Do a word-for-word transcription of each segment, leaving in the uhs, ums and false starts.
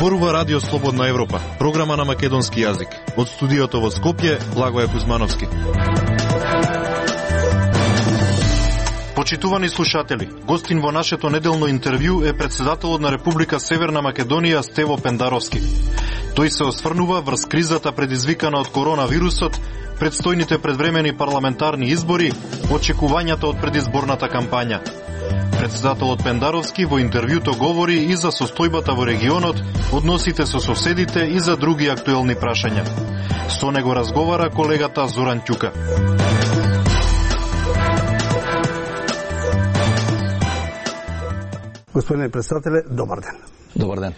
Зборува Радио Слободна Европа, програма на македонски јазик. Од студиото во Скопје, Благоја Кузмановски. Почитувани слушатели, гостин во нашето неделно интервју е председателот на Република Северна Македонија Стево Пендаровски. Тој се осврнува врз кризата предизвикана од коронавирусот, предстојните предвремени парламентарни избори, очекувањата од предизборната кампања. Председателот Пендаровски во интервјуто говори и за состојбата во регионот, односите со соседите и за други актуелни прашања. Со него разговара колегата Зоран Ќука. Господине председателе, добар ден. Добар ден.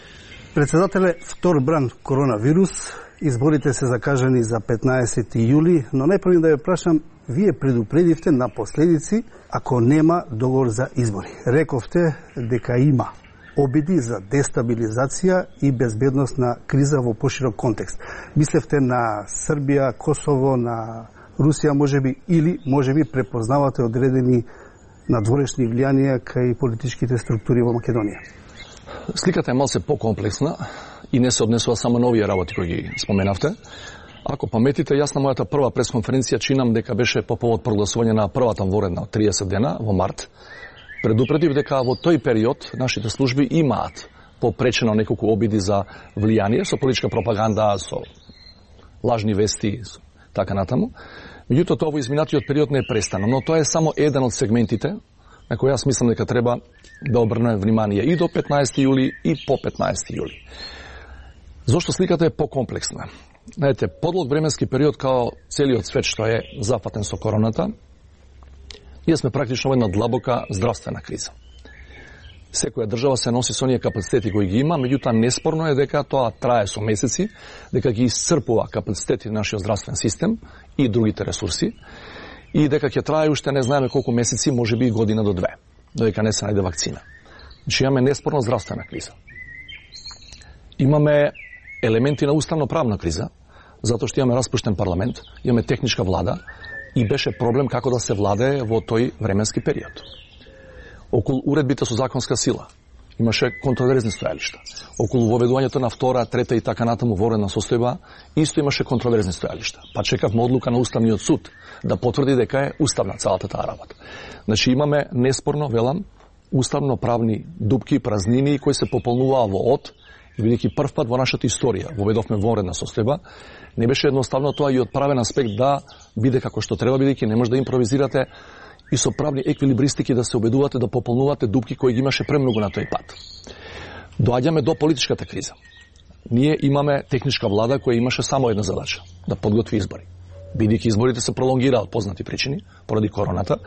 Председателе, втор бран коронавирус, изборите се закажани за петнаесети јули, но најпрво да ја прашам, вие предупредивте на последици ако нема договор за избори. Рековте дека има обиди за дестабилизација и безбедносна криза во поширок контекст. Мислевте на Србија, Косово, на Русија можеби, или можеби препознавате одредени надворешни влијанија кај политичките структури во Македонија? Сликата е малце покомплексна и не се однесува само на овие работи кои ги споменавте. Ако паметите, јас на мојата прва пресконференција чинам дека беше по повод прогласување на првата воредна од триесет дена во март. Предупредив дека во тој период нашите служби имаат попречено неколку обиди за влијание со политичка пропаганда, со лажни вести, со така натаму. Меѓутоа тоа во изминатиот период не е престано, но тоа е само еден од сегментите на кој јас мислам дека треба да обрнеме внимание и до петнаесети јули и по петнаесети јули. Зошто сликата е покомплексна? Знаете, подлог временски период као целиот свет што е зафатен со короната, ние сме практично во една длабока здравствена криза. Секоја држава се носи со оние капацитети кои ги има, меѓутоа неспорно е дека тоа трае со месеци, дека ги исцрпува капацитети на нашиот здравствен систем и другите ресурси, и дека ќе трае уште не знаеме колку месеци, можеби и година до две, додека не се најде вакцина. Значи имаме неспорно здравствена криза. Имаме елементи на уставно-правна криза, затоа што имаме распуштен парламент, имаме техничка влада и беше проблем како да се владее во тој временски период. Околу уредбите со законска сила имаше контроверзни стојалишта. Околу воведувањето на втора, трета и така натаму воредна состојба исто имаше контроверзни стојалишта. Па чекавме одлука на Уставниот суд да потврди дека е уставна цялата таа работа. Значи имаме неспорно, велам, уставно-правни дупки, празнини кои се пополнуваа во од, и бидејќи прв пат во нашата историја воведовме воредна состојба, не беше едноставно тоа и од правен аспект да биде како што треба, бидејќи не може да импровизирате и со правни еквилибристики да се обедувате да пополнувате дупки кои ги имаше премногу на тој пат. Доаѓаме до политичката криза. Ние имаме техничка влада која имаше само една задача – да подготви избори. Бидејќи изборите се пролонгираа од познати причини, поради короната,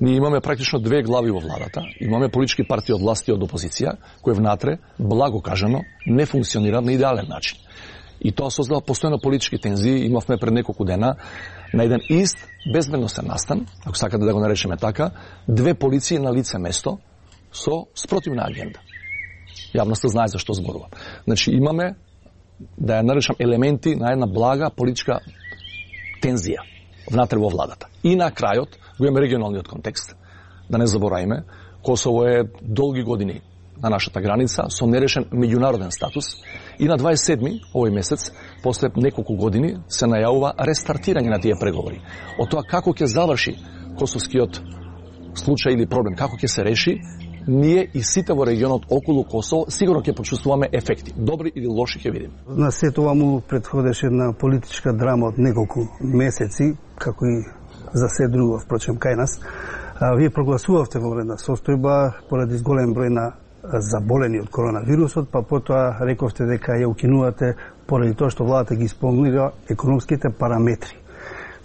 ние имаме практично две глави во владата, имаме политички партии од власт и од опозиција, кои внатре, благо кажано, не функционираат на идеален начин. И тоа создава постојано политички тензии. Имавме пред неколку дена на еден ист безбедносен настан, ако сакате да го наречеме така, две полиции на лице место со спротивна агенда. Јавноста знае за што зборувам. Значи имаме, да ја наречам, елементи на една блага политичка тензија внатре во владата. И на крајот го имаме регионалниот контекст. Да не забораваме, Косово е долги години на нашата граница со нерешен меѓународен статус и на дваесет и седми овој месец, после неколку години, се најавува рестартирање на тие преговори. Од тоа како ќе заврши косовскиот случај или проблем, како ќе се реши, ние и сите во регионот околу Косово сигурно ќе почувствуваме ефекти. Добри или лоши ќе видиме. На се тоа му претходеше една политичка драма од неколку месеци, како и за се друго, впрочем, кај нас. А, вие прогласувавте во вредна состојба поради голем број на заболени од коронавирусот, па потоа рековте дека ја укинувате поради тоа што владата ги исполнира економските параметри.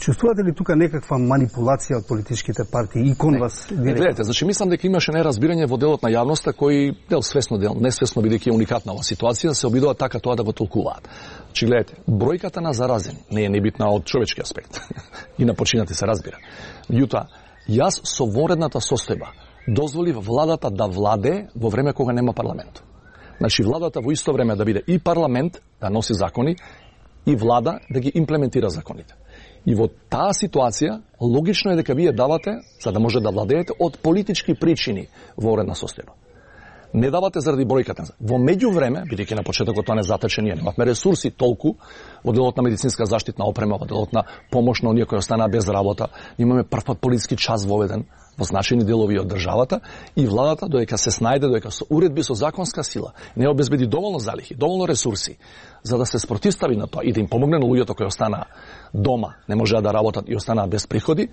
Чувствувате ли тука некаква манипулација од политичките партии и кон вас директно? Гледате, значи мислам дека имаше неразбирање во делот на јавноста кои дел свесно, дел несвесно, бидејќи е уникатна ова ситуација, се обидува така тоа да го толкуваат. Значи гледате, бројката на заразени не е небитна од човечки аспект. И на починати се разбира. Меѓутоа, јас со воредната состојба дозволив владата да владе во време кога нема парламент. Значи владата во исто време да биде и парламент, да носи закони, и влада да ги имплементира законите. И во таа ситуација, логично е дека вие давате, за да може да владеете, од политички причини во уредна состојба. Не давате заради бројката. Во меѓувреме, бидејќи на почетокот тоа не затече, ние немавме ресурси толку во делот на медицинска заштитна опрема, во делот на помош на оние кои останаа без работа. Имаме првпат полициски час воведен во значајни делови од државата и владата додека се снајде, додека со уредби со законска сила не обезбеди доволно залихи, доволно ресурси за да се спротивстави на тоа и да им помогне на луѓето кои останаа дома, не можеа да работат и останаа без приходи.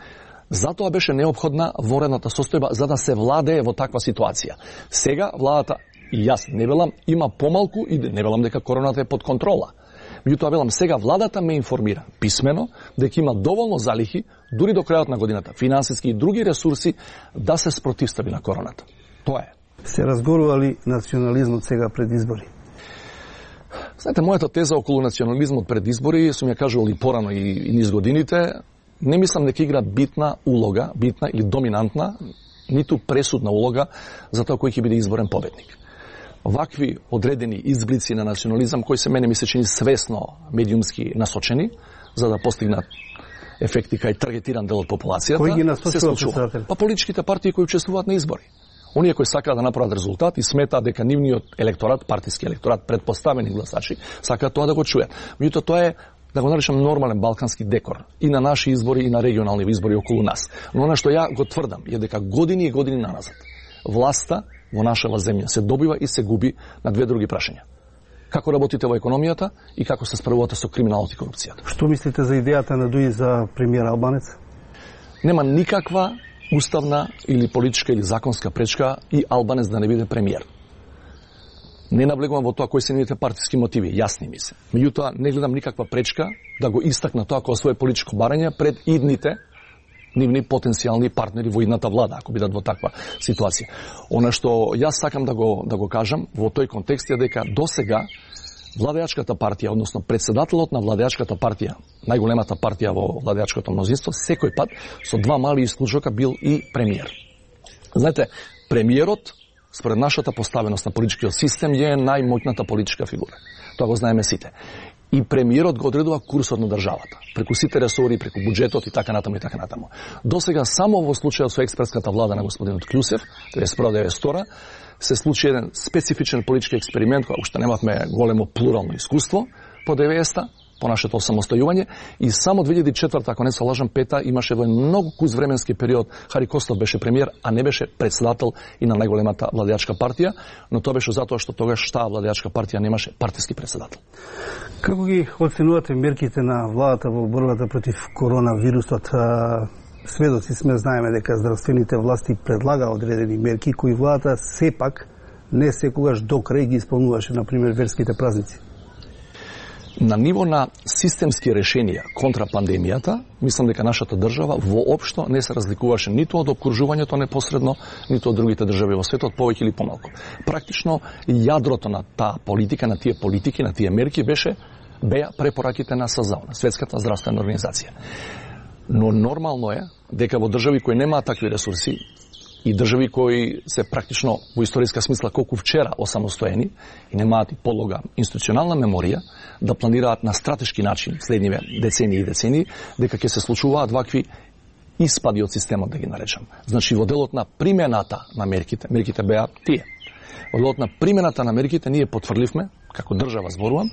Затоа беше неопходна воредната состојба за да се владее во таква ситуација. Сега владата, и јас не велам, има помалку и не велам дека короната е под контрола. Меѓутоа велам, сега владата ме информира писмено дека има доволно залихи, дури до крајот на годината, финансиски и други ресурси да се спротивстави на короната. Тоа е. Се разгорували национализмот сега пред избори? Знаете, мојата теза околу национализмот пред избори, сум ја кажувал и порано и, и низ годините, не мислам дека игра битна улога, битна или доминантна, ниту пресудна улога за тоа кој ќе биде изборен победник. Вакви одредени изблици на национализам, кои се мене ми се чини свесно медиумски насочени, за да постигнат ефекти кај таргетиран дел од популацијата, кој ги насочува, се случува. Па политичките партии кои учествуваат на избори. Оние кои сакаат да направат резултат и сметаат дека нивниот електорат, партиски електорат, предпоставени гласачи, сакаат тоа да го чујат. Меѓутоа тоа е, да го наречам, нормален балкански декор и на наши избори и на регионални избори околу нас. Но она што ја го тврдам е дека години и години наназад власта во нашава земја се добива и се губи на две други прашања. Како работите во економијата и како се справувате со криминалот и корупцијата. Што мислите за идејата на Дуи за премиер Албанец? Нема никаква уставна или политичка или законска пречка и Албанец да не биде премиер. Не наблегувам во тоа кои се нивните партиски мотиви, јасни ми се. Меѓутоа, не гледам никаква пречка да го истакна тоа како свое политичко барање пред идните нивни потенцијални партнери во идната влада, ако бидат во таква ситуација. Она што јас сакам да го, да го кажам во тој контекст е дека досега владеачката партија, односно председателот на владеачката партија, најголемата партија во владеачкото мнозинство, секој пат со два мали исклучока бил и премиер. Знаете, премиерот според нашата поставеност на политичкиот систем е најмоќната политичка фигура. Тоа го знаеме сите. И премиерот го одредува курсот на државата, преку сите ресори, преку буџетот и така натаму и така натаму. Досега само во случајот со експертската влада на господинот Клјусев, деветнаесет деветдесет и втора, се случи еден специфичен политички експеримент, која уште немавме големо плурално искуство по деветдесета, по нашето самостојување, и само две илјади и четврта, ако не се лажам, пета, имаше во многу куз временски период Хари Костов беше премиер, а не беше председател и на најголемата владеачка партија, но тоа беше затоа што тогаш таа владеачка партија немаше партиски председател. Како ги оценувате мерките на владата во борбата против коронавирусот? Сведоци сме, знаеме дека здравствените власти предлага одредени мерки кои владата сепак не секогаш до крај ги исполнуваше, например верските празници. На ниво на системски решенија контра пандемијата, мислам дека нашата држава воопшто не се разликуваше ниту од опкружувањето непосредно, ниту од другите држави во светот, повеќе или помалку. Практично јадрото на таа политика, на тие политики, на тие мерки беше беа препораките на СЗО, на Светската здравствена организација. Но нормално е дека во држави кои немаат такви ресурси и држави кои се практично во историска смисла колку вчера осамостоени и немаат и подлога институционална меморија, да планираат на стратешки начин следниве децении и децении, дека ќе се случуваат вакви испади од системот, да ги наречам. Значи, во делот на примената на мерките, мерките беа тие. Во делот на примената на мерките ние потврдивме, како држава зборувам,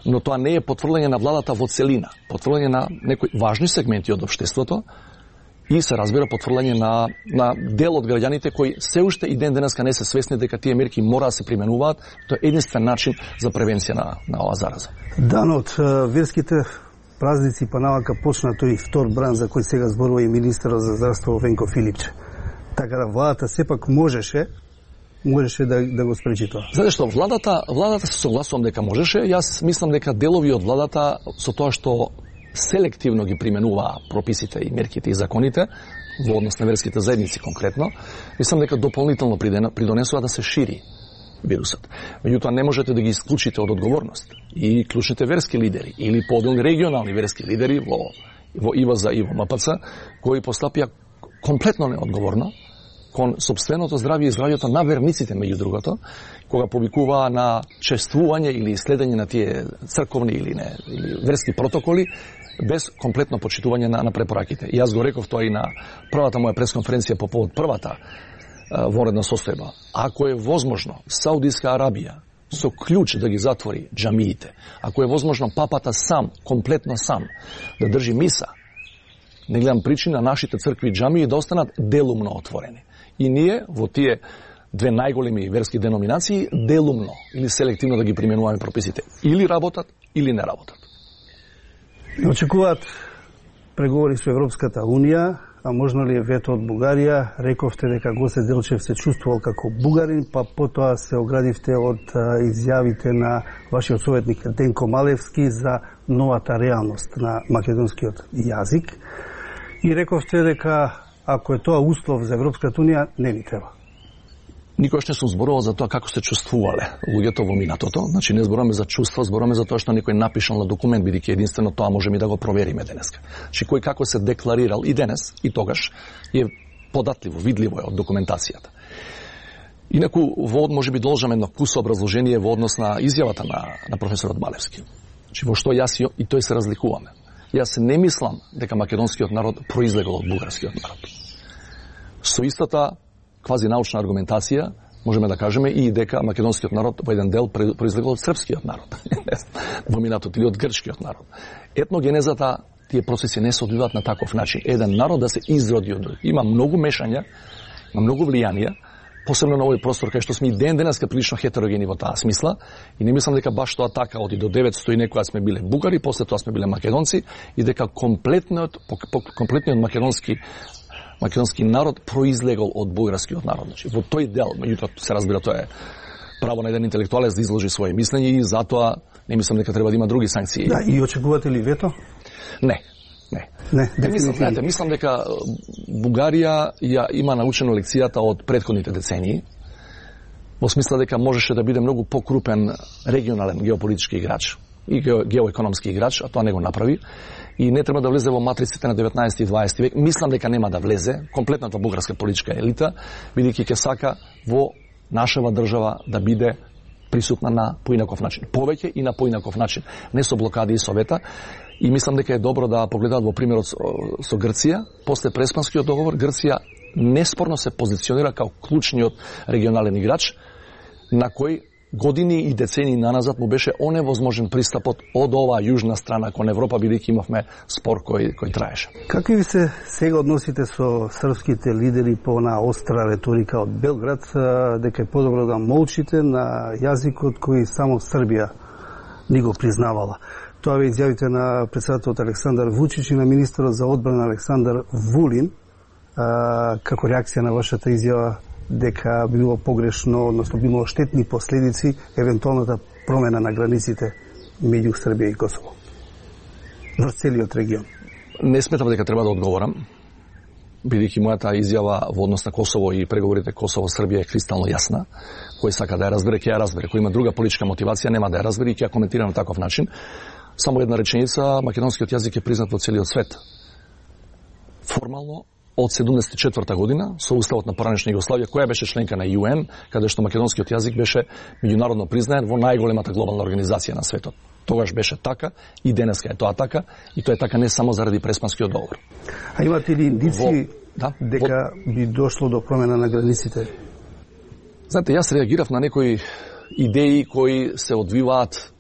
но тоа не е потврлење на владата во целина, потврлење на некои важни сегменти од општеството и се разбира потврлење на, на дел од граѓаните кои се уште и ден денеска не се свесни дека тие мерки мора да се применуваат. Тоа е единствен начин за превенција на, на оваа зараза. Данот верските празници па навака почна тој втор бран за кој сега зборува и министерот за здравство Венко Филипче. Така да владата сепак можеше можеше да, да го спречи тоа. Знаете што, владата, владата се согласувам дека можеше. Јас мислам дека делови од владата со тоа што селективно ги применуваа прописите и мерките и законите во однос на верските заедници конкретно, мислам дека дополнително придонесува да се шири вирусот. Меѓутоа не можете да ги исклучите од одговорност и клучните верски лидери или поделни регионални верски лидери во во ИВЗ и во МПЦ кои постапија комплетно неодговорно кон сопственото здравје и здравјето на верниците, меѓу другото, кога повикуваа на чествување или следење на тие црковни или не или верски протоколи без комплетно почитување на, на препораките. И јас го реков тоа и на првата моја пресконференција по повод првата вонредна состојба. Ако е возможно Саудиска Арабија со клjuč да ги затвори џамиите, ако е возможно папата сам, комплетно сам, да држи миса, не гледам причина нашите цркви и џамии да останат делумно отворени. И ние во тие две најголеми верски деноминации делумно или селективно да ги применуваме прописите. Или работат, или не работат. Очекуваат преговори со Европската Унија, а можно ли е вето од Бугарија? Рековте дека Гоце Делчев се чувствувал како бугарин, па потоа се оградивте од изјавите на вашиот советник Денко Малевски за новата реалност на македонскиот јазик. И рековте дека ако е тоа услов за Европската Унија, не ни треба. Никош не сум зборувал за тоа како се чувствувале луѓето во минатото. Значи не зборуваме за чувства, зборуваме за тоа што некој напишал на документ, бидејќи единствено тоа можеме да го провериме денеска. Значи кој како се декларирал и денес и тогаш е податливо, видливо е од документацијата. Инаку во можеби должам едно кусо образложение во однос на изјавата на на професорот Малевски. Значи во што јас и тој се разликуваме. Јас не мислам дека македонскиот народ произлегол од бугарскиот народ. Со истата квази научна аргументација можеме да кажеме и дека македонскиот народ во еден дел произлегол од српскиот народ, во минатото или од грчкиот народ. Етногенезата, тие процеси не се одвиваат на таков начин. Еден народ да се изроди од друг. Има многу мешања, има многу влијанија, посебно на овој простор кај што сме и ден денеска прилично хетерогени во таа смисла, и не мислам дека баш тоа така оди до деветсто и некоја сме биле бугари, после тоа сме биле македонци, и дека комплетниот комплетниот македонски македонски народ произлегол од бугарскиот народ. Значи, во тој дел, меѓутоа се разбира, тоа е право на еден интелектуалец да изложи своje мислење и затоа не мислам дека треба да има други санкции. Да, и очекувате ли вето? Не. Не. Не, не мислам, знаете, мислам дека Бугарија ја има научено лекцијата од претходните децении, во смисла дека можеше да биде многу покрупен регионален геополитички играч и геоекономски играч, а тоа не го направи. И не треба да влезе во матриците на деветнаесети и дваесети век. Мислам дека нема да влезе комплетната бугарска политичка елита, бидејќи ќе сака во нашава држава да биде присутна на поинаков начин. Повеќе и на поинаков начин. Не со блокади и совета. И мислам дека е добро да погледаат во примерот со, со Грција. После Преспанскиот договор, Грција неспорно се позиционира као клучниот регионален играч, на кој години и децении наназад му беше оневозможен пристапот од оваа јужна страна кон Европа, бидејќи имавме спор кој кој траеше. Какви ви се сега односите со српските лидери по на остра реторика од Белград, дека е подобро да молчите на јазикот кој само Србија ни го признавала? Тоа ве изјавите на претседателот Александар Вучич и на министерот за одбрана Александар Вулин, а, како реакција на вашата изјава дека било погрешно, односно било штетни последици евентуалната промена на границите меѓу Србија и Косово во целиот регион. Не сметам дека треба да одговорам, бидејќи мојата изјава во однос на Косово и преговорите Косово-Србија е кристално јасна. Кој сака да ја разбере, ќе ја разбере. Кој има друга политичка мотивација, нема да ја разбере и ќе ја коментира на таков начин. Само една реченица, македонскиот јазик е признат во целиот свет. Формално од седумдесет и четврта година со уставот на поранешна Југославија, која беше членка на ЮН, каде што македонскиот јазик беше меѓународно признаен во најголемата глобална организација на светот. Тогаш беше така и денеска е тоа така, и тоа е така не само заради Преспанскиот договор. А имате ли индици да, дека во... би дошло до промена на границите? Знаете, јас реагирав на некои идеи кои се одвиваат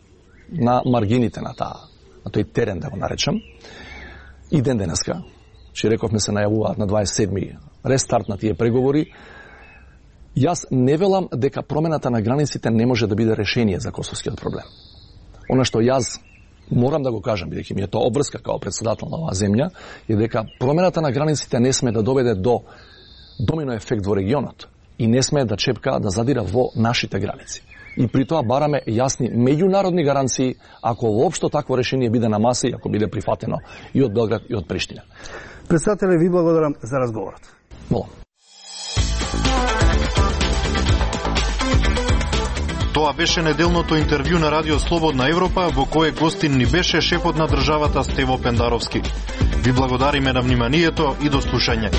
на маргините на таа, на тој терен, да го наречам. И ден денеска, че рековме се најавуваат на дваесет и седми рестарт на тие преговори. Јас не велам дека промената на границите не може да биде решение за косовскиот проблем. Она што јас морам да го кажам, бидејќи ми е тоа обврска као председател на оваа земја, е дека промената на границите не сме да доведе до домино ефект во регионот и не сме да чепка да задира во нашите граници. И при тоа бараме јасни меѓународни гаранции ако воопшто такво решение биде на маса и ако биде прифатено и од Белград и од Приштина. Председателе, ви благодарам за разговорот. Молам. Тоа беше неделното интервју на Радио Слободна Европа, во кое гостин ни беше шефот на државата Стево Пендаровски. Ви благодариме на вниманието и до слушање.